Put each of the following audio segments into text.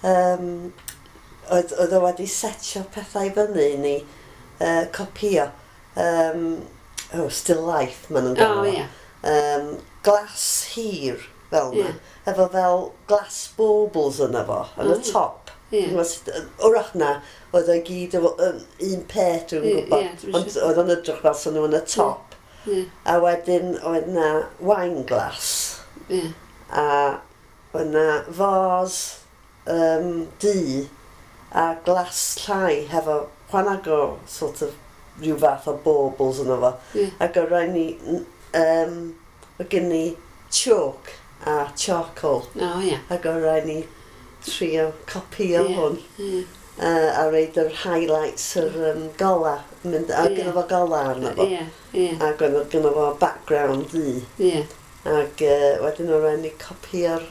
Oedd o wedi setio pethau i fyny i ni copio. Oh, still life, maen nhw'n galw. Glas hir fel yna, efo fel glass baubles yna fo, yn y top. Wrach na, oedd o'i gyd efo un peth, dwi'n gwybod, ond oedd o'n edrych fel sy'n nhw yn y top. A wedyn oedd na wine glass. A oedd na vase du a glas llai hefo chwanag o sort of rhyw fath o baubles yno fo. Ac oedd rhaid ni, oedd gen ni chalk a charcoal. Ac oedd rhaid ni trio copio hwn. A roid yr highlights, yr gola, mynd, a gyda fo gola arno fo. Ie, ie. Ac oedd gyda fo background du. Ac wedyn oedd rhaid ni copio'r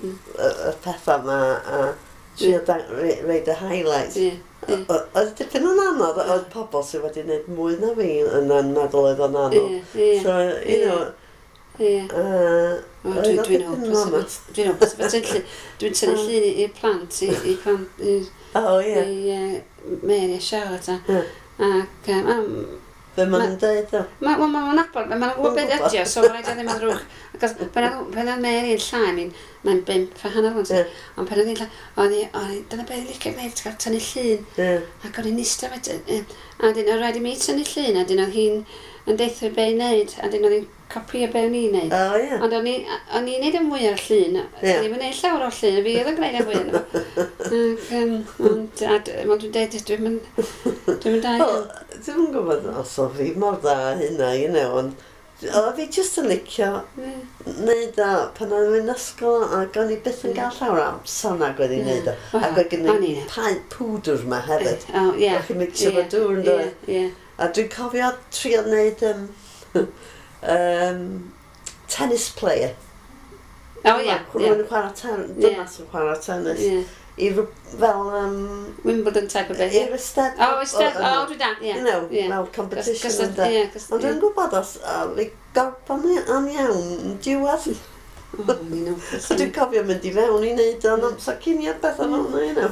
y pethau yma a trio roid y highlights. Ie, ie. Oedd dipyn yn anodd, oedd pobl sydd wedi gwneud mwy na fi yn meddwl oedd o'n anodd. Ie, ie. So, you know, O, oedd dwi'n o dwi'n dipyn yn hopeless efo anodd. Dwi'n hopeless efo tynnu Dwi'n tynnu llun i'r plant, i plant, i i Mary a Charlotte a ac Be maen nhw'n dweud o? Ma' wel, ma' nhw'n nabod, ma' nhw'n gwybod beth ydi o, so ma' raid o ddim yn ddrwg. Achos pan oedd Mary yn llai, mae'n 5.5 rŵan, ond pan oedd hi'n llai, o'n i, o'n i, dyna beth i'n licio gwneud, cael tynnu llun. Ac o'n i'n eistedd wedyn, a wedyn oedd rhaid i mi tynnu llun, a wedyn oedd hi'n yn deutha fi be i wneud, a wedyn oedd hi'n copio be o'n i'n wneud. Oh, yeah. Ond o'n i'n neud y mwy o'r llun, ddim yn neud llawer o'r llun, fi oedd yn gwneud y mwy ohono fo. Ac, ond, a wel, dwi'n deud, dwi'n mynd da Wel, dwi'm yn gwybod os oedd fi mor dda hynna, ond oedd fi jyst yn licio neud o pan o'n i'n ysgol ac o'n i byth yn gael llawer o amser nag oedd i'n neud o. Ac oedd gen i paent pwdr yma hefyd. Oh, yeah. O'ch chi'n mixio fo dŵr yn dod. A dwi'n cofio trio neud tennis player. Oh, yeah. Rhywun yn chwarae tennis, dynas yn chwarae tennis. I fel Wimbledon type o beth. I'r Eisteddfod. Oh, Eisteddfod. Oh, dwi da, ie. Fel competition ynde. Ond dwi'n gwybod os fi gorffan yn iawn yn diwedd. So dwi'n cofio mynd i fewn i wneud o'n amser cinio beth o'n hwnna.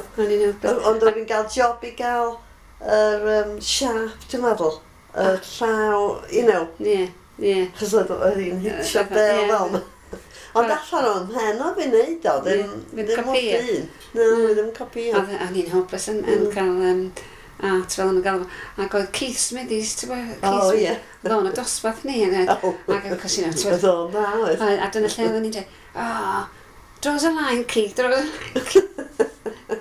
Ond o'n i'n cael job i gael yr siap, dwi'n meddwl. Y llaw, Ie, ie. Chos oedd hi'n hitio bel fel. Ond allan o'n mhen oedd fi'n neud o, ddim ddim o dyn. Na, ddim copio. O'n i'n hopeless yn cael art fel o'n gael. Ac oedd Keith Smithies, ti'n gwybod? Oh, ie. Oedd o'n y dosbarth ni. Ac of course, ti'n Oedd o'n dda, oedd. A dyna lle oedden ni'n dweud, "Oh, draw us a line, Keith, draw us a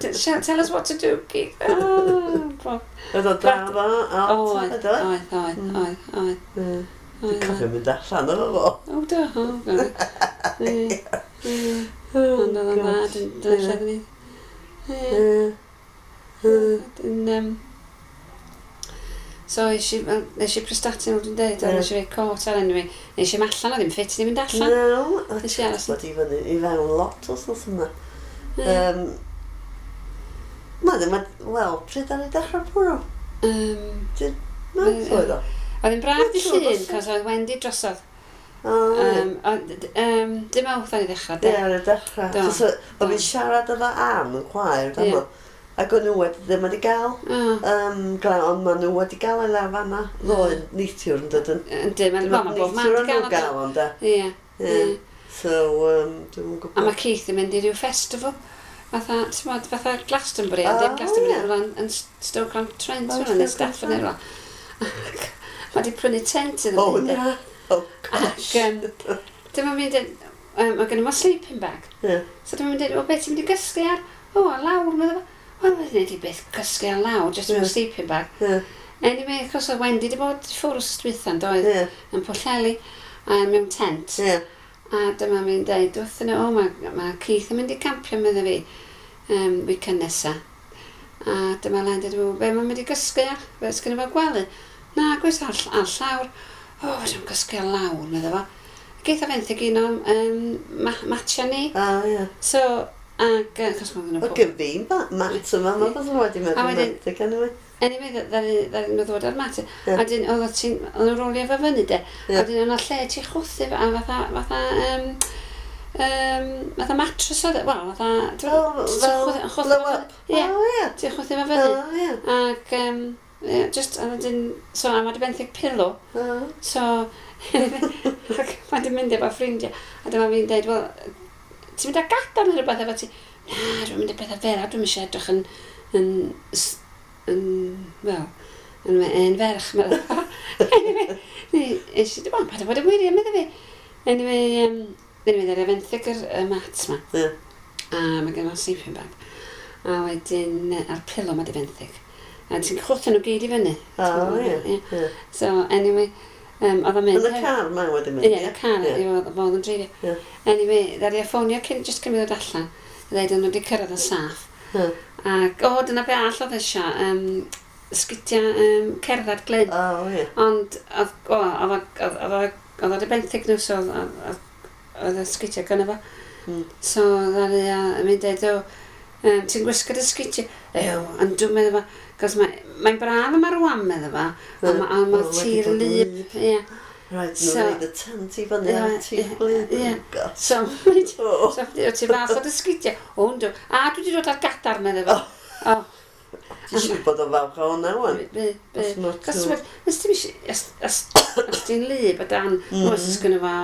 line. Tell us what to do, Keith." Oh, Oedd o'n dda fo, art. Oedd, oedd, oedd, oedd, oedd. Dwi'n cofio mynd allan efo fo. O, do, o, do. Ond oedd o'n dda, dyna lle oedden ni. Ie. So, es i Prestatyn, fel dwi'n dweud, a nes i roi cot ar enw fi. Nes i'm allan, oedd ddim ffit i mynd allan. No, Nes i aros. Bod i fyny i fewn lot wythnos yma. Ma ddim, wel, pryd ar ei dechrau bwrw? Mae'n oedd o? Oedd hi'n braf dy llun, cos oedd Wendy drosodd. Dim awth ar ei ddechrau, de? Ie, ar ei dechrau. Oedd fi'n siarad efo Ann yn chwaer, dyma. Ac o'n nhw wedi, ddim wedi gael. Glaw, ond maen nhw wedi gael ei lawr fanna. Ddoe, neithiwr yn dydyn. Yndi, mae'n bob man wedi gael. Gael ond de. Ie. So, dwi'n gwybod. A mae Keith yn mynd i ryw festival. Fatha, ti'n bod, fatha Glastonbury, ond dim Glastonbury, ond yn Stoke-on-Trent, neu Stafford neu rhywle. Mae wedi prynu tent iddo fi. Oh, na. Oh, gosh. Ac, dyma fi'n dweud, mae gen i mo sleeping bag. So dyma fi'n dweud, o, beth ti'n mynd i gysgu ar? O, ar lawr, meddwl. Wel, mae'n gwneud i beth cysgu ar lawr, just mewn sleeping bag. Anyway, achos oedd Wendy wedi bod ffwrdd wsos dwytha, yn doedd, yn Pwllheli, mewn tent. A dyma fi'n dweud wrthyn nhw, o, mae Keith yn mynd i campio, medde fi, weekend nesa. A dyma Len dweud, o, be mae'n mynd i gysgu ar? Be sgynno fo gwely? Na, gwys ar llawr. O, fedrwn gysgu ar lawr, medde fo. Geith o fenthyg un o'n matia ni. Oh, ie. So, ac, achos mae nhw... O, gen fi mat yma, mae beth wedi meddwl fenthyg, anyway. Anyway, ddaru nhw ddod ar mat. A dyn, oedd nhw'n rolio fo fyny, de. A dyn, o'na lle ti chwthu, a fatha, Fatha mattress oedd, wel, fatha... Fel blow up? Ie, ti'n chwythu fo fyny. Ac, yeah, just, a wedyn, so, a mae di benthyg pillow. So, ac mae di mynd efo ffrindiau. A dyma fi'n deud, wel, ti'n mynd â gadar neu rhywbeth efo ti? Na, dwi'n mynd â pethau fel, a dwi'n eisiau edrych yn, wel, yn ferch. Anyway, nes i, wel, paid â bod yn wirion, medda fi. Anyway, anyway, ddaru fenthyg y mat ma. Yeah. A mae gen i sleeping bag. A wedyn, a'r pillow ma di fenthyg. A ti'n chwthu nhw gyd i fyny. Oh, ie. Yeah. So, anyway, oedd o'n mynd... Yn y car ma wedi mynd? Ie, yn y car, oedd yn dreifio. Yeah. Anyway, ddaru o ffonio cyn, just cyn mi ddod allan. Dweud o'n nhw wedi cyrraedd yn saff. Yeah. Ac, o, dyna be all oedd eisiau, sgidiau cerdded Glyn. Oh, ie. Ond, oedd o benthyg nhw, so oedd y sgidiau gynno fo. So, ddaru o mynd dweud, o, ti'n gwisgo dy sgidiau? Ew, ond dwi'n meddwl fo, cos mae'n braf yma rwan, meddwl fo, a mae'r tir lyb. Ie. Right, nhw'n rhaid y tent i fyny ar tir gwlyb. Ie. So, ti'n fath o dy sgidiau? O, yndw. A dwi wedi dod ar gadar, meddwl fo. O. Ti'n siŵr bod o'n falch o hwnna, wan? Be. Cos, nes ti'n os ti'n lyb o dan, oes gynno fo,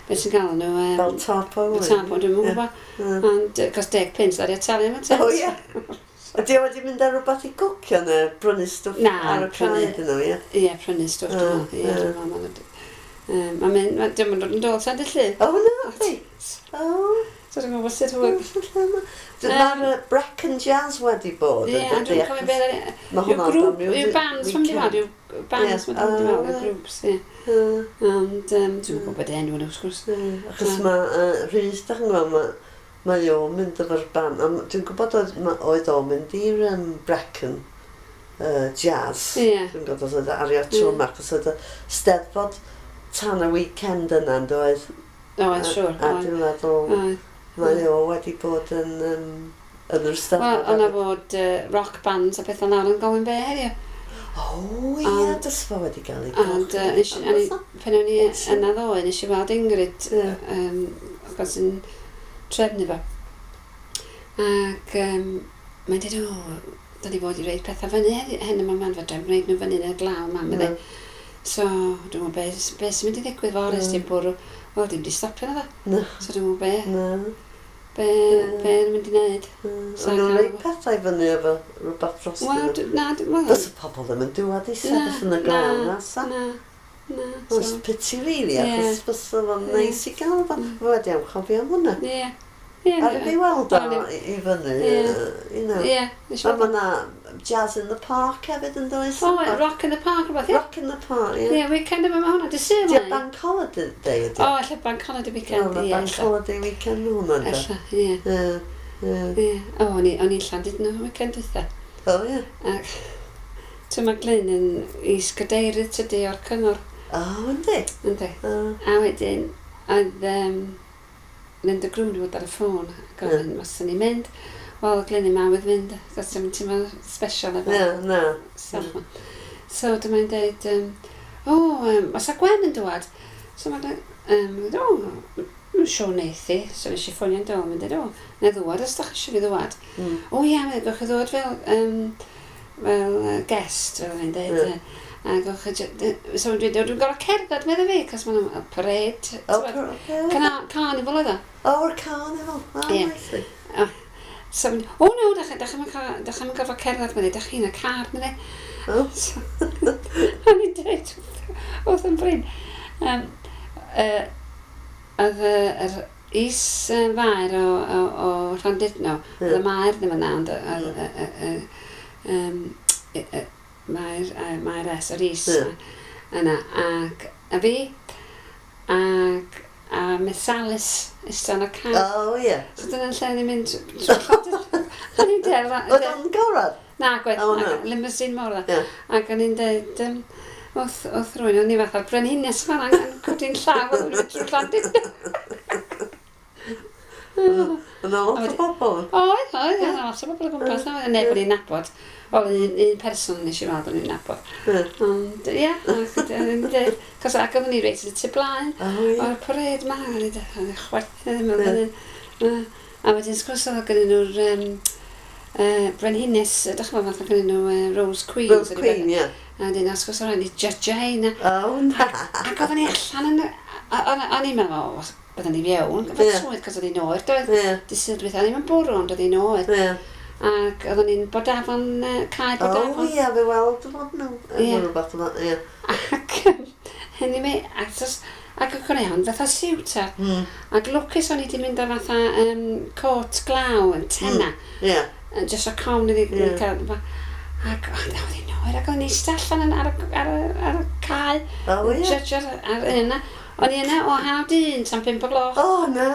beth sy'n gael nhw? Fel tarp o wan. Tarp o, dwi'n gwybod. Ond, cos 10 pence, ddaru o talu am y tent. O, ie. Ydy o wedi mynd ar rhywbeth i gwcio neu brynu stwff ar y pryd nhw, ie? Ie, prynu stwff, dwi'n meddwl. Ie, dwi'n meddwl. Mae'n mynd, dwi'n mynd yn dod tan dy llun. O, na, di. O. So dwi'n gwybod sut hwyl. Mae'r Brecon Jazz wedi bod. Ie, a dwi'n cofio beth ar... Mae hwnna'n grŵp, yw bands, mae'n mynd i fod, yw bands, mae'n mynd i fod, yw grŵps, ie. Ond dwi'n gwybod enw nhw, wrth gwrs. Achos mae Rhys, da chi'n gwybod, mae o'n mynd efo'r band. Dwi'n gwybod oedd o'n mynd i'r Brecon Jazz. Ie. Dwi'n gwybod oedd ario tro yma, achos oedd y Steddfod tan y weekend yna, yn doedd? Oedd, siŵr. A dwi'n meddwl, mae o wedi bod yn yr Steddfod. Wel, o'na fod rock bands a pethau nawr yn gofyn be heddiw. O, ie, dys fo wedi cael ei Ond, pan o'n i yna ddoe, nes i weld Ingrid, achos yn trefnu fo. Ac mae'n dweud, o, da ni fod i reid pethau fyny hyn yma, ma'n fedra, gwneud nhw fyny yn y glaw yma, meddai. So, dwi'n meddwl, be sy'n mynd i ddigwydd fory, os ti'n bwrw, wel, dim di stopio na dda. So, dwi'n meddwl, be yn mynd i wneud. O'n nhw'n rhaid pethau fyny efo rhywbeth dros nhw? Wel, na, wel... Fysa pobl ddim yn dŵad i sefyll yn y glaw na, sa? Na, na. It's pity really, achos fysa fo'n neis i gael fo. Fo wedi anghofio am hwnna. Ie. Ar fi weld o i fyny, you know. Ie. A mae na Jazz in the Park hefyd yn does? O, Rock in the Park, rhywbeth, ie. Rock in the Park, ie. Ie, weekend yma mae hwnna, dy Sul Di Bank Holiday Day ydi? O, ella Bank Holiday weekend, ie. Bank Holiday weekend hwnna, ynddo? Ella, ie. Ie. O, o'n i'n Llandudno weekend dwytha. O, ie. Ac, ti'n mae Glyn yn is-gadeirydd tydi o'r cyngor. O, yndi? Yndi. A wedyn, oedd Linda Grwn wedi bod ar y ffôn a gofyn, yeah. Os ni'n mynd, wel, Glyn i'n mawydd fynd, achos ti'n teimlo special efo. Na, na. So, dyma'n dweud, os a Gwen yn dŵad? So, mae'n dweud, o, mae'n siŵr neith i. So, nes i ffonio'n dôl, mae'n dweud, o, na ddŵad, os da chi eisiau fi ddŵad. O, ia, mae'n gwch chi ddŵad fel, fel guest, fel mae'n dweud. Yeah. A gwch chi, so dwi'n dweud, dwi'n gorfod cerdded, meddai fi, cos ma'n parade. O, Carnival oedd o. O, o'r carnival. O, nice. So, o no, da chi'n gorfod cerdded, meddai, da chi'n y car, meddai. O. O'n i'n dweud, wrth yn Bryn. Oedd yr is-faer o Llandudno, oedd y maer ddim yna, ond mae'r S, yr is yna, ac a fi, ac a Miss Alice eistedd yn y car. O, ie. So dyna'n lle ni'n mynd o'n i'n dweud... Oedd o'n gorau? Na, gwaith, limousine mawr dda. Ac o'n i'n dweud, wrth rhywun, o'n i fatha brenhines fan yn codi'n llaw, o'n i'n mynd trwy Llandudno. Yna lot o bobl. Oedd, lot o bobl o gwmpas, na, neb o'n i'n nabod. Wel, un person nes i weld o'n i'n nabod. Ond, ie, cos ac oedden ni reit yn y tu blaen. O'r parade ma, o'n i'n chwerthin ddim yn. A wedyn, sgwrs oedd gen nhw'r Brenhines, ydych chi'n meddwl, gen nhw Rose Queen. Rose Queen, ie. A wedyn, sgwrs oedd rhaid i judge heina. Oh, na. Ac oedden ni allan yn... O'n i'n meddwl, byddwn ni fewn, gyda swydd, cos oedd hi'n oer, doedd. Di Sul dwytha, ddim yn bwrw, ond oedd hi'n oer. Ac oedden ni'n Bodafon, cae Bodafon. O ie, fe weld fod nhw. Ie. Rhywbeth yma, ie. Ac hynny mi, ac o'n i fatha siwt ar. Ac lwcus o'n i wedi mynd â fatha cot glaw yn tenna. Ie. Just o cawn iddi cael. Ac oedd hi'n oer, ac oedden ni eistedd allan ar y cae. O ie. Judge ar yna. O'n i yna o 1:30 tan 5 o gloch. O na!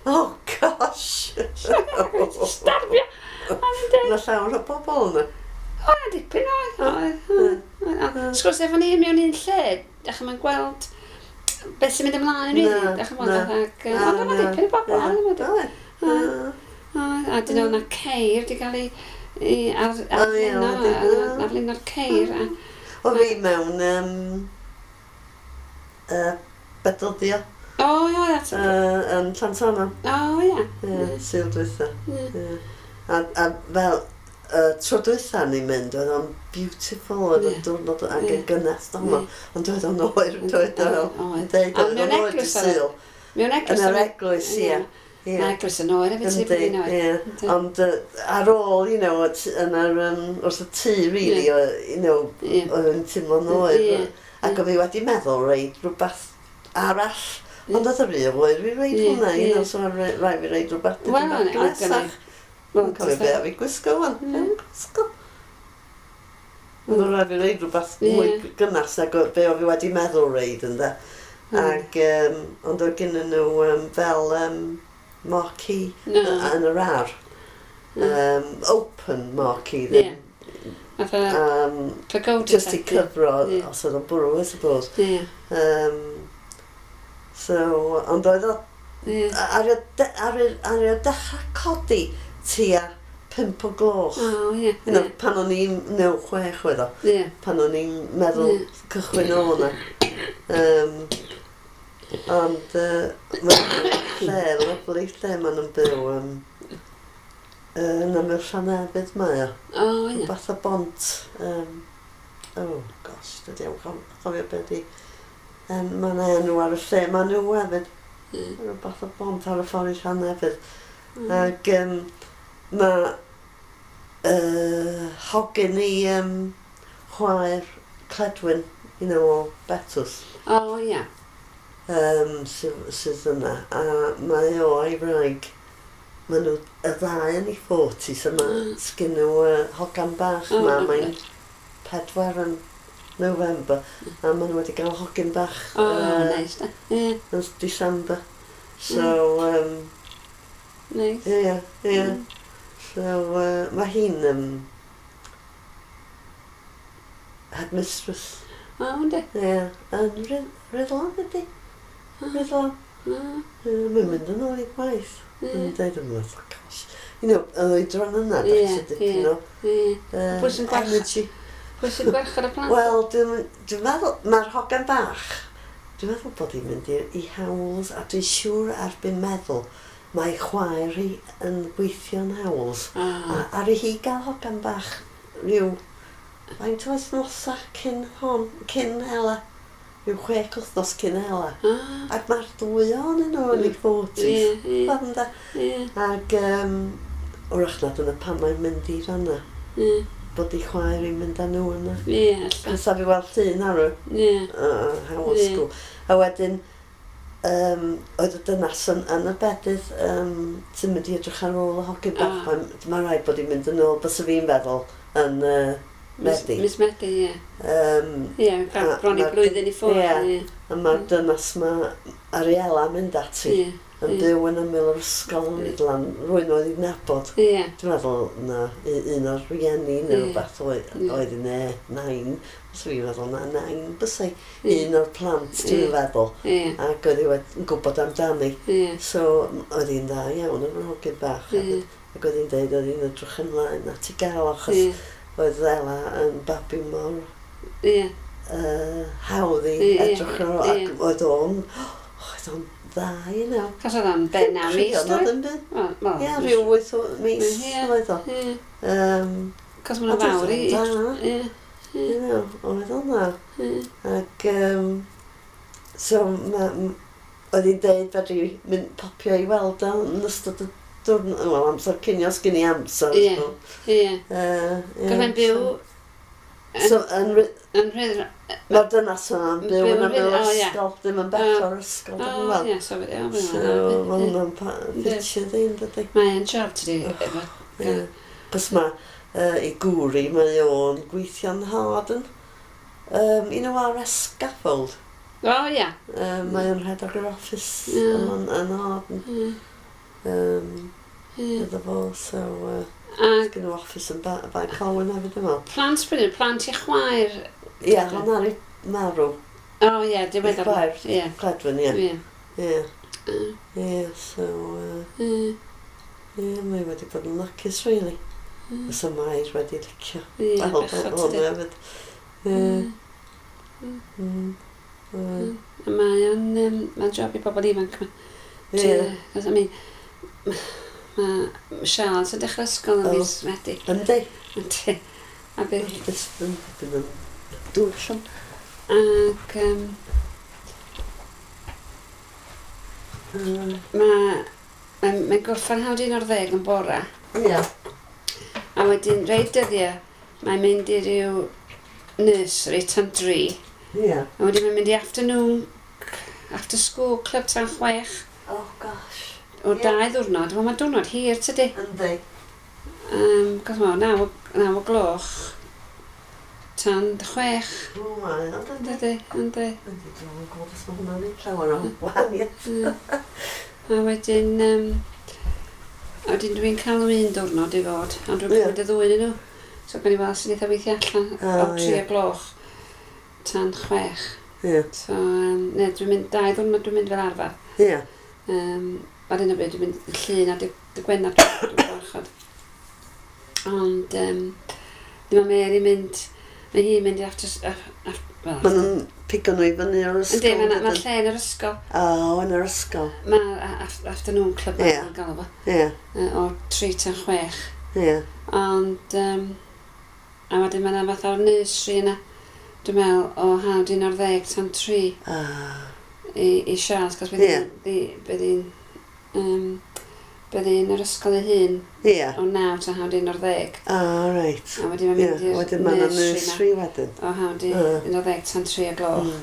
Oh gosh! Starfio! Yna llawer o bobl yna. O, na dipyn oedd. Sgwrs efo ni mewn un lle, dach chi'n gweld beth sy'n mynd ymlaen yn rili. Dach chi'n gweld ac... Ond yna dipyn o bobl. A dyn nhw yna ceir wedi cael ei arlun o'r ceir. O fi mewn Bedyddio. O, ie, that's it. Yn Llansannan. O, ie. Ie, Sul dwytha. A fel, tro dwytha ni'n mynd, oedd o'n beautiful, oedd o'n diwrnod ac yn gynnes yma, ond oedd o'n oer, oedd o'n deud, oedd o'n oer dy Sul. Mewn eglwys. Yn yr eglwys, ie. Mae eglwys yn oer efo ti, bod hi'n oer. Ond ar ôl, you know, wrth y tŷ, really, you know, oedd o'n teimlo'n oer. Ac oedd fi wedi meddwl reid rhywbeth arall. Ond oedd y rhy oer fi reid hwnna, you know, so rhaid fi reid rhywbeth dipyn bach gnesach. Dwi'n cofio be a fi gwisgo wan. Dwi'n gwisgo. Ond rhaid fi reid rhywbeth mwy gynnas nag be o fi wedi meddwl reid ynde. Ac, ond oedd gen nhw fel marquee yn yr ar. Open marquee ddim. Just i cyfro os oedd o'n bwrw, I suppose. So, ond oedd o... Ar y dechrau codi tua 5 o gloch. Oh, ie. You know, pan o'n i'n, no, 6 oedd o. Pan o'n i'n meddwl cychwyn o hwnna. Ond mae'n lle, lyfli lle maen nhw'n byw. Yn ymyl Llanefydd mae o. O, ie. Rhywbeth o bont. Oh, gosh, dydy o'n cofio beth i. Mae'n enw ar y lle, maen nhw hefyd. Rhywbeth o bont ar y ffordd i Llanefydd. Ac mae hogyn i chwaer Cledwyn, you know, o Betws. O, ie. Sydd yna. A mae o a'i wraig. Maen nhw y ddau yn eu 40s, a mae sgyn nhw hogan bach ma. Mae'n 4 yn November, a maen nhw wedi cael hogyn bach. O, neis da. Yn December. So, Nice. Ie, ie. So, mae hi'n headmistress. O, yndi? Ie, yn Rhuddlan ydi. Rhuddlan. Mae'n mynd yn ôl i gwaith. Yn dweud yn fath, gosh. You know, yn oedran yna, dach chi dipyn o energy. Pwy sy'n gwarchod y plant? Wel, dwi'n meddwl, mae'r hogan bach, dwi'n meddwl bod hi'n mynd i Howells, a dwi'n siŵr erbyn meddwl, mae chwaer hi yn gweithio yn Howells. A ar i hi gael hogan bach rhyw, faint o wythnosau cyn hon, cyn Hela, rhyw 6 wythnos cyn Hela. Ac mae'r ddwy ohonyn nhw yn eu 40s. Ie. Ac wrach na dyna pan mae'n mynd i fanna. Bod ei chwaer hi'n mynd â nhw yna. Ie, alla. Cos a fi weld llun ar y Howells School. A wedyn, oedd y dynas yn y bedydd sy'n mynd i edrych ar ôl y hogyn bach. Mae rhaid bod hi'n mynd yn ôl, bysa fi'n feddwl, yn Medi. Mis Medi, ie. Ie, bron i blwyddyn i ffwrdd. Ie, a mae'r dynas ma Ariela mynd ati. Yn byw yn ymyl yr ysgol yn Rhuddlan, rhywun oedd i'n nabod. Dwi'n meddwl na un o'r rieni neu rhywbeth oedd i ne, nain. So fi'n meddwl na nain bysai un o'r plant, dwi'n meddwl. Ac oedd hi yn gwybod amdani. So oedd hi'n dda iawn efo'r hogyn bach hefyd. Ac oedd hi'n deud oedd hi'n edrych ymlaen at i gael, achos oedd Ela yn babi mor hawdd i edrych ar ôl, ac oedd o'n dda, you know. Cos oedd o'n ben 9 mis, doedd? Ie, rhyw 8 mis oedd o. Cos maen nhw'n fawr i. Ie. You know, oedd o'n dda. Ac, so, oedd hi'n deud fedri mynd popio i weld o yn ystod y diwrnod, wel, amser cinio, sgyn i amser. Ie, ie. Cos mae'n byw... So, yn Rhydd... Mae'r dynas yna'n byw yn ymyl ysgol, ddim yn bell o'r ysgol. O, ie, so so, mae hwnna'n ffitio ddyn, dydy. Mae'n job, tydi. Ie. Cos mae ei gŵr i, mae o'n gweithio'n hard yn, you know, RS Scaffold. O, ie. Mae o'n rhedeg yr office yn Harden. Iddo fo, so... Ac yn office yn Bae Colwyn hefyd yma. Plant pryd, plant i chwaer? Ie, hwnna i marw. O ie, diweddar. I chwaer, Cledwyn, ie. Ie. Ie, so... Ie, mae wedi bod yn lwcus, really. Fysa Mair wedi licio. Ie, bechod tydi. Hefyd. Ie. Mae o'n... Mae'n job i bobl ifanc yma. Ie. I mean, mae Charles yn dechrau ysgol yn mis Medi. Yndi. Yndi. A bydd... Bydd yn dŵr allan. Ac... Mae'n gorffen 11:30 yn bora. Ie. A wedyn, rei dyddiau, mae'n mynd i ryw nursery tan 3. Ie. A wedyn mae'n mynd i afternoon, after school club tan 6. Oh gosh. O 2 ddiwrnod. Wel, mae'n diwrnod hir, tydi? Yndi. Cos mae'n 9 o gloch tan 6. O, mae o'n dydi. Yndi, yndi. Yndi, dwi'n gwybod os mae hwnna'n neud llawer o wahaniaeth. A wedyn, dwi'n cael nhw un diwrnod i fod, ond dwi'n cymryd y ddwy yn nhw. So, gan i weld sy'n eitha weithio allan o 3 o gloch tan 6. Ie. So, ne, dwi'n mynd 2 ddiwrnod dwi'n mynd fel arfer. Ie. Ar un o bryd, dwi'n mynd Llun a dy Gwener dwi'n gwarchod. Ond, ddim Mary mynd, mae hi'n mynd i after... Maen nhw'n pigo nhw i fyny o'r ysgol. Yndi, mae lle yn yr ysgol. O, yn yr ysgol. Mae afternoon club yn gael fo. Ie. O 3 tan 6. Ie. Ond, a wedyn mae yna fath o'r nursery yna, dwi'n meddwl, o 11:30 tan 3. I Charles, cos bydd hi'n... Bydd hi'n yr ysgol ei hun o 9 tan 11:30. Ah, reit. A wedyn mae'n mynd i'r nursery wedyn. O 11:30 tan 3 o gloch.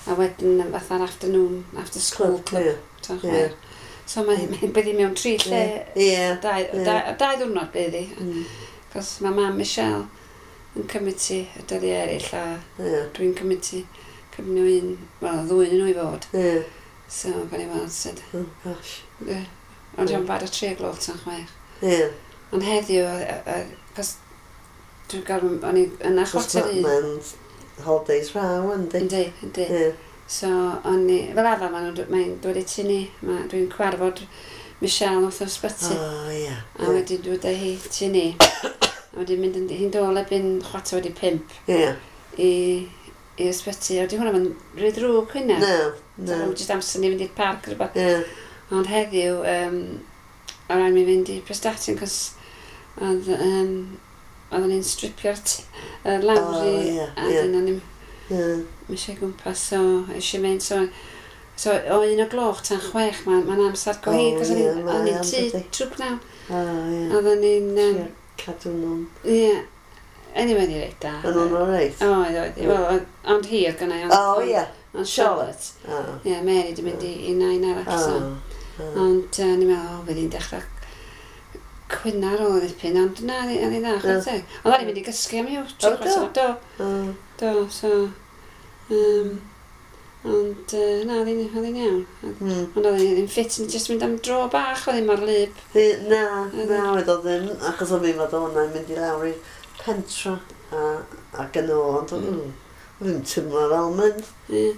A wedyn fatha'r afternoon, after school club tan 6. So mae'n bydd hi mewn 3 lle. 2 ddiwrnod bydd hi. Cos mae mam Michelle yn cymryd ti y dyddiau eraill a dwi'n cymryd ti cymryd nhw un, wel, ddwy nhw i fod. So, gan i weld sut. Oh, gosh. Ie. Ond dwi'n bad o 3 o gloch tan 6. Ie. Ond heddiw, cos dwi'n gael, o'n i yn 1:15. Mae'n holidays raw, yndi? Yndi, yndi. Ie. So, o'n i, fel arfer, mae'n dod i tŷ ni. Dwi'n cwarfod Michelle wrth yr ysbyty. O, ie. A wedyn dod â hi tŷ ni. A wedyn mynd hi'n dôl erbyn 5:15. Ie. I ysbyty. A wedi hwnna yn rhy ddrwg hynna. Na, na. Jyst amser ni fynd i'r parc neu rhywbeth. Ie. Ond heddiw, o rhaid mi fynd i Prestatyn, cos oedden ni'n stripio'r lawr i, a dyn o'n i'n eisiau gwmpas, so eisiau mynd, so o 1 o gloch tan 6, mae'n amser go hir, cos o'n i'n tŷ trwy pnawn. Oedden ni'n... Cadw nhw'n... Ie. Anyway, ni reit da. O'n nhw'n oreit? Oedd, oedd. Ond hi oedd gynna i. O, ie. Ond Charlotte. Ie, Mary di mynd i nain arall, so. Ond ni'n meddwl, fydd hi'n dechrau cwyno ar ôl ddipyn, ond na, oedd hi'n dda, chwarae teg. Ond o'n i'n mynd i gysgu am i'w, 3:15. Do. Do, so... Ond na, oedd hi'n iawn. Ond oedd hi'n ffit, yn jyst mynd am dro bach, oedd hi'n mor lyb. Na, na, oedd o ddim, achos o'n i'n meddwl hwnna'n mynd i lawr i'r pentra ac yn ôl, ond o'n i'n teimlo fel mynd. Ie.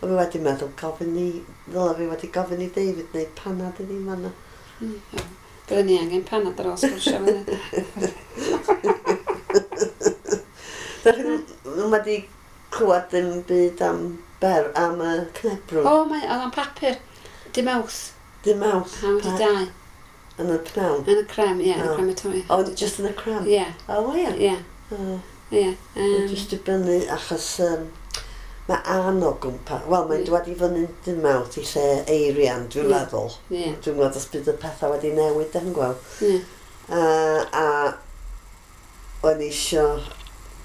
O'n i wedi meddwl gofyn i, ddyle fi wedi gofyn i David wneud panad i ni fan'na. Byddwn ni angen panad ar ôl sgwrsio fan hyn. Dach chi'n wedi clywed ddim byd am ber, am y cnebrwn? O, mae, oedd o'n papur. Dim Mawrth. Dim Mawrth? Am wedi dau. Yn y pnawn? Yn y crem, ie, yn y crematorium. O, just yn y crem? Ie. O, ie? Ie. Ie. Just dibynnu, achos mae Ann o gwmpas, wel, mae'n dod i fyny dim Mawrth i lle Eirian, dwi'n meddwl. Ie. Dwi'n gweld os bydd y pethau wedi newid, dwi'n gweld. Ie. A o'n i isio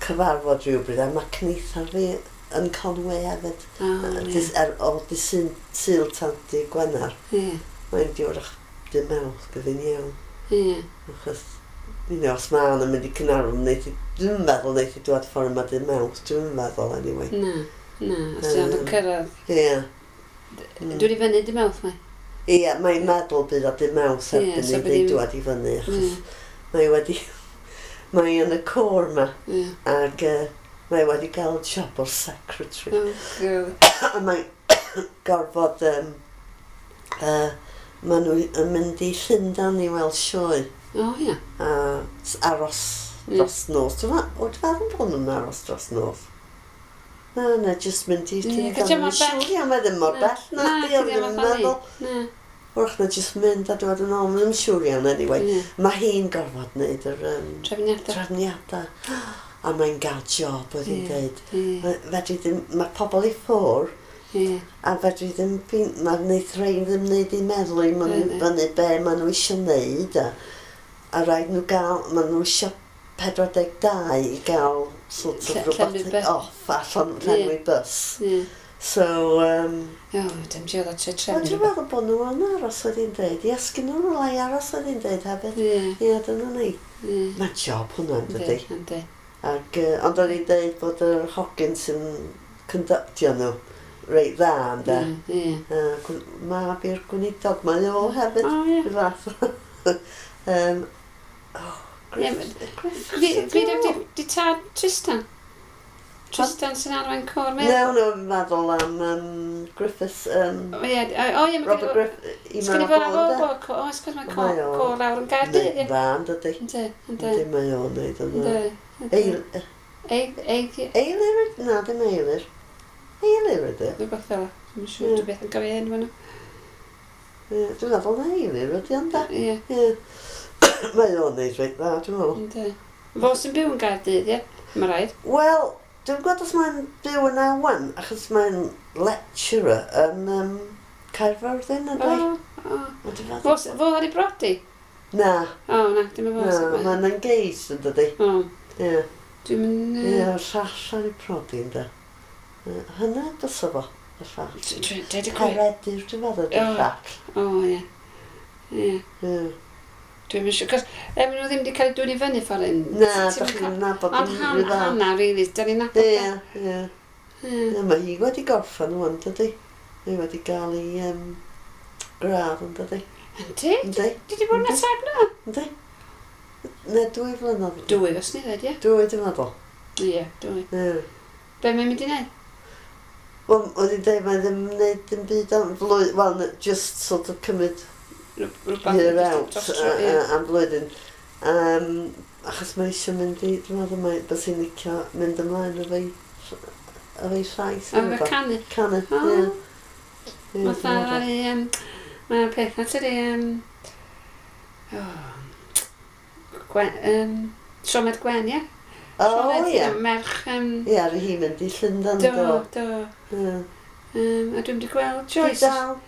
cyfarfod rhywbryd, a mae cneithar fi yn Conway hefyd. O, O, di Sul tan di Gwener. Ie. Mae'n diwrach dim Mawrth, bydd iawn. Ie. Achos, you know, os mae Ann yn mynd i Caernarfon, dwi'n meddwl wneith i dŵad ffordd yma dim Mawrth, dwi'n meddwl, anyway. Na, na, os ti'n ond yn cyrraedd. Ie. Dwi'n i fyny dim Mawrth, mae? Ie, mae'n meddwl bydd o dim Mawrth erbyn i fi dŵad i fyny, achos mae wedi... Mae yn y côr yma, ac mae wedi cael job o'r secretary. Oh, God. A mae'n gorfod... Maen nhw yn mynd i Llundain i weld sioe. O, ie. A aros dros nos. Dwi'n meddwl bod nhw'n aros dros nos. Na, na, jyst mynd i Llundain. Mae'n siŵr iawn, mae ddim mor bell. Na, di, ddim yn meddwl. Na. Wrach na jyst mynd a dod yn ôl. Mae'n siŵr iawn, anyway. Mae hi'n gorfod wneud yr trefniadau. A mae'n gael job, oedd hi'n dweud. Mae pobl i ffwrdd. Yeah. A fedri ddim, mae wneud rhain ddim wneud i meddwl i maen fyny be maen nhw eisiau wneud a rhaid nhw gael, maen nhw eisiau 42 i gael sort of rhywbeth off allan llenwi bus. Yeah. So, O, dim diolch o tre trefnu. Dwi'n meddwl bod nhw yn aros oedd hi'n deud. Ie, sgyn nhw'n rhywle i aros oedd hi'n deud hefyd. Ie, dyna ni. Mae'n job hwnna, yn dydi? Yndi. Ac, ond oedd hi'n deud bod yr hogyn sy'n conductio nhw reit dda, ynde? Ie. Mab i'r gweinidog, mae o hefyd. O, ie. Rhyw fath. Griff. Fi di tad Tristan? Tristan sy'n arwain côr meddwl? No, no, fi'n meddwl am Griffiths. O, ie, Robert Griffiths. Sgyn i fod ar ôl o, oes, cos mae côr lawr yn Gaerdydd, ie. Dda, yn dydi? Yndi, yndi. Yndi, mae o'n neud yn dda. Yndi. Eilir? Na, dim Eilir. Eilir ydy. Rhywbeth fel. Dwi'n siŵr, dwi'n beth yn gofio enw nhw. Dwi'n meddwl na Eilir ydy ond da. Ie. Mae o'n neud reit dda, dwi'n meddwl. Yndi. Fo sy'n byw yn Gaerdydd, ie? Mae rhaid. Wel, dwi'n gwybod os mae'n byw yn Awen, achos mae'n lecturer yn Caerfyrddin, ydy? O, o. Fo ar ei brodi? Na. O, na, dim yn fo. Na, mae'n engaged yn dydi. O. Ie. Dwi'n mynd... Ie, llall ar ei prodi, ynddo. Hynna, dysa fo, y llall. Dweud y gwir. Peredur, dwi'n meddwl, ydy'r llall. O, ie. Ie. Dwi'n mynd siŵr, cos maen nhw ddim wedi cael eu dwyn i fyny ffordd un. Na, dach chi'n nabod yn rhy dda. Ond Hannah, really, da ni'n nabod. Ie, ie. Ie, mae hi wedi gorffen ŵan, dydi? Mae wedi cael ei gradd, yn dydi? Yndi? Yndi. Di di bod yn tair blynedd? Yndi. Ne, 2 flynedd. 2, os ni ddweud, ie? 2, dwi'n meddwl. Ie, 2. Ie. Be mae'n mynd i wneud? Wel, oedd hi'n dweud, mae ddim yn gwneud dim byd am flwyddyn, wel, just sort of cymryd year out am flwyddyn. Achos mae eisiau mynd i, dwi'n meddwl mae, bys hi'n licio mynd ymlaen efo'i llais. Efo canu? Canu, ie. Fatha, mae'r peth na tydi, Siomed Gwen, ie? O, ie. Merch... Ie, ar hi mynd i Llundain, do. Do, do. A dwi'n wedi gweld Joyce. Dwi dal.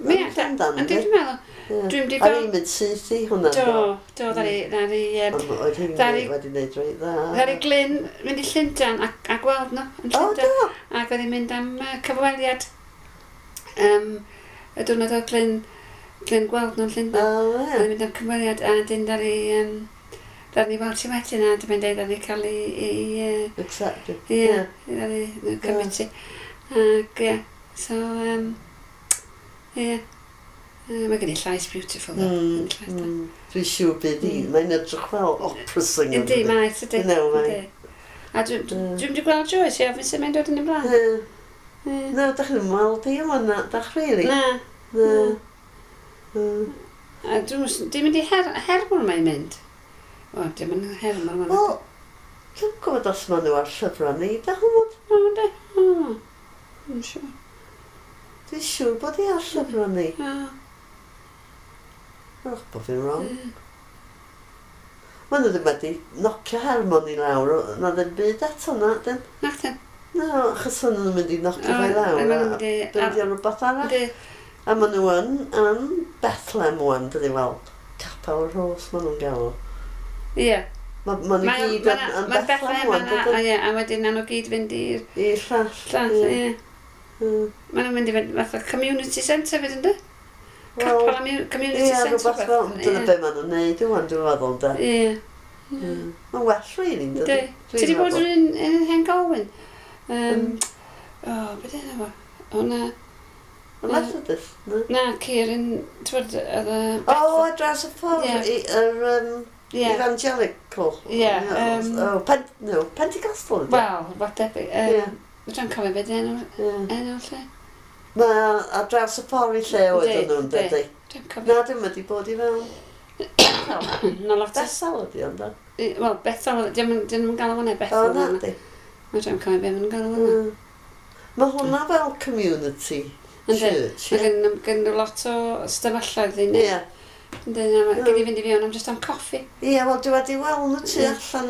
Mi allan, yndi, dwi'n meddwl. Dwi'n wedi gweld... Ar hi'n mynd syth i hwnna. Do, do, ddari... Ond oedd hi'n wedi gwneud reit dda. Ddari Glyn mynd i Llundain a gweld nhw yn Llundain. O, do. Ac oedd hi'n mynd am cyfweliad. Y diwrnod oedd Glyn gweld nhw'n Llundain. O, ie. Oedd hi'n mynd am cyfweliad a dyn ddari... Ddaru ni weld ti wedyn a dwi'n dweud ddaru ni cael ei... Accepted. Ie, ddaru ni committee. Ac ie, so, ie. Mae gen i llais beautiful ddo. Dwi'n siŵr bydd hi, mae'n edrych fel opera singer. Yndi, mae, tydi. No, mae. A dwi'n wedi gweld Joyce, ie, fi'n sut mae'n dod yn ei blaen. Na, dach chi'n weld hi yma, na, dach really? Na. Na. A dwi'n mynd i Hermon mae'n mynd. O, dim yn Hermon. Wel, dwi'n gwybod os maen nhw ar llyfrau ni, da hwnnw. O, de. O, dwi'n siŵr. Dwi'n siŵr bod i ar llyfrau ni. O. Wrach bod fi'n wrong. Maen nhw ddim wedi nocio Hermon i lawr, na ddim byd eto na, dim. Nac dyn. Na, achos maen nhw'n mynd i nocio fe i lawr a bildio rhywbeth arall. A maen nhw yn Bethlehem wan, dydy, wel, Capel y Rhos maen nhw'n galw. Ie. Maen nhw gyd yn Bethlehem wan, dydy. Ie, a wedyn nhw gyd fynd i'r... I'r llall. Llall, ie. Maen nhw'n mynd i fynd fatha community centre fyd, ynddo? Capel a community centre. Ie, rhywbeth fel, dyna be maen nhw'n neud wan, dwi'n meddwl, de. Ie. Mae'n well, really, dydy. Ti wedi bod yn Hen Golwyn? O, beth yna fo? Hwna... Y Methodist, na? Na, Ciaran, ti'n bod, oedd y... O, ar draws y ffordd, yr evangelical. Ie. Oh, no, Pentecostal, ydy? Wel, what debyg. Dwi'n cofio beth enw lle. Mae ar draws y ffordd i lle oedden nhw'n dydy. Dwi'n cofio. Na, dwi'n wedi bod i fewn. Na lot o... Bethel ydy ond, da? Wel, Bethel, dyn nhw'n galw hwnna Bethel. O, na, di. Dwi'n cofio beth maen nhw'n galw hwnna. Mae hwnna fel community church. Mae gen nhw lot o stafelloedd i ni. Ie. Ynddi, gyd i fynd i fewn am jyst am coffi. Ie, wel dwi wedi weld nhw tu allan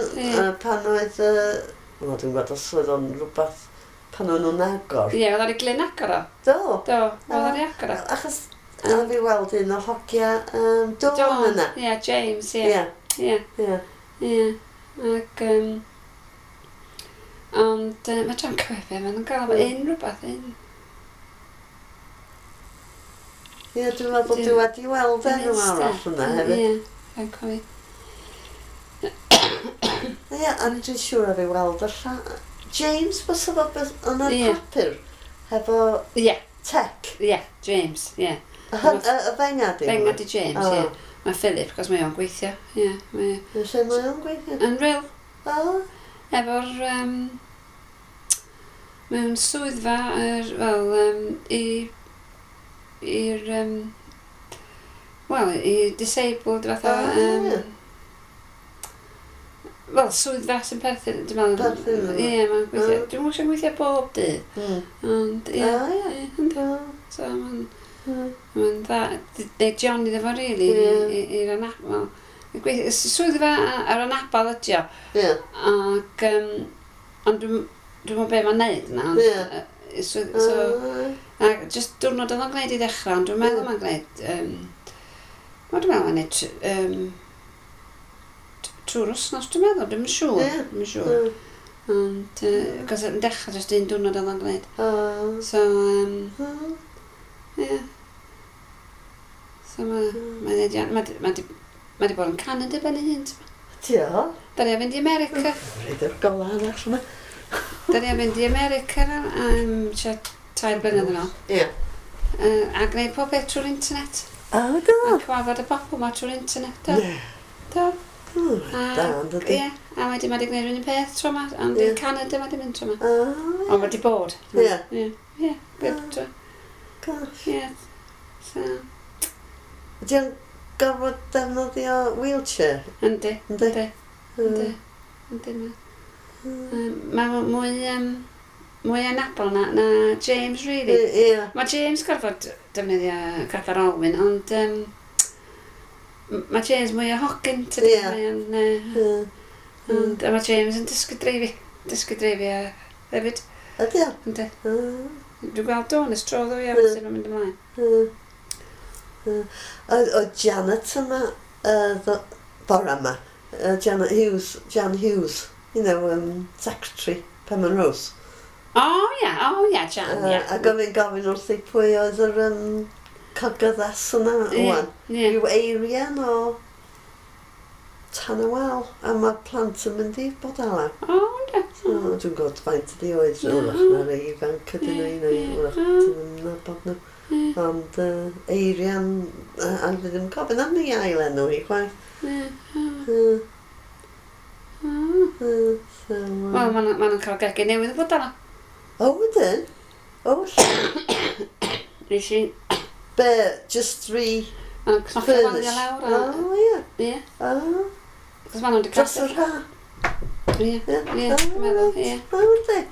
pan oedd... Wel, dwi'n gwybod os oedd o'n rhywbeth pan o'n nhw'n agor. Ie, oedd ar ei glyn agor o. Do. Do, oedd ar ei agor o. Achos a fi weld un o hogia Dawn yna. Ie, James, ie. Ie. Ie. Ac... Ond mae dwi'n cofio be maen nhw'n gael un rhywbeth, un. Ie, dwi'n meddwl dwi wedi weld enw arall yna hefyd. Ie, dwi'n cofio. Ie, a dwi'n siŵr a fi weld y lla... James, bysa fo yn y papur? Hefo... Ie. Tech? Ie, James, ie. Y fenga di? Fenga di James, ie. Mae Philip, cos mae o'n gweithio, ie. Lle mae o'n gweithio? Yn real. O. Efo'r... Mewn swyddfa, fel, i'r... Wel, i disabled, fatha... Wel, swyddfa sy'n perthyn, dwi'n meddwl... Perthyn? Ie, mae'n gweithio... Dwi'n meddwl sy'n gweithio bob dydd. Ond, ie. So, mae'n... Mae'n dda... Neu John iddo fo, rili, i'r anabl. Swyddfa ar anabl ydi o. Ie. Ac... Ond dwi'n meddwl be mae'n neud na. Ie. So, ac jyst diwrnod oedd o'n gwneud i ddechrau, ond dwi'n meddwl mae'n gwneud... Wel, dwi'n meddwl mae'n gwneud... Trwy'r wsnos, dwi'n meddwl, dwi'n siŵr. Dwi'n siŵr. Ond, cos yn dechrau jyst un diwrnod oedd o'n gwneud. So, ie. So, mae'n Mae di bod yn Canada ben ei hun, ti'n Dio? Da ni a fynd i America. Rhaid i'r golau arall yma. Da ni a fynd i America am tua 3 blynedd yn ôl. Ie. A gwneud pob beth trwy'r internet. O, do? A cyfarfod y bobl ma trwy'r internet, do. Ne. Do. Da, yn dydi. Ie, a wedyn mae di gwneud yr un peth tro ma, ond i Canada mae di mynd tro ma. O, ie. Ond mae di bod. Ie. Ie, ie. Gosh. Ie. So. Ydy o'n gorfod defnyddio wheelchair? Yndi. Yndi. Yndi. Yndi. Mae mwy anabl na James, really. Ie. Mae James gorfod defnyddio cadair olwyn, ond mae James mwy o hogyn, tydi? Ie. Ond mae James yn dysgu dreifio hefyd. Ydy o? Yndi. Dwi'n gweld Dawn ers tro ddo, ie, sut mae'n mynd ymlaen. Oedd Janet yma, bore yma, Janet Hughes, Jan Hughes, you know, secretary, Penman Rose. O ia, Jan, ia. A gofyn wrthi pwy oedd yr cogyddes yna, wan. Rhyw Eirian o Tanawel, a mae plant yn mynd i bod ala. O, ynddo. So, dwi'n gwybod faint ydi oed, wrach na rei ifanc ydyn nhw, neu wrach dyn nhw'n nabod nhw. Ond Eirian, a fi ddim yn cofio am ei ail enw hi chwaith. Wel, maen nhw'n cael gegin newydd yn bod yna. O, ydyn? O, lle? Nes i... Be, just three... Maen nhw'n cnocio walia lawr. O, ie. Ie. O. Cos maen nhw'n Dros yr ha. Ie. Ie, dwi'n meddwl, ie. O, yndi.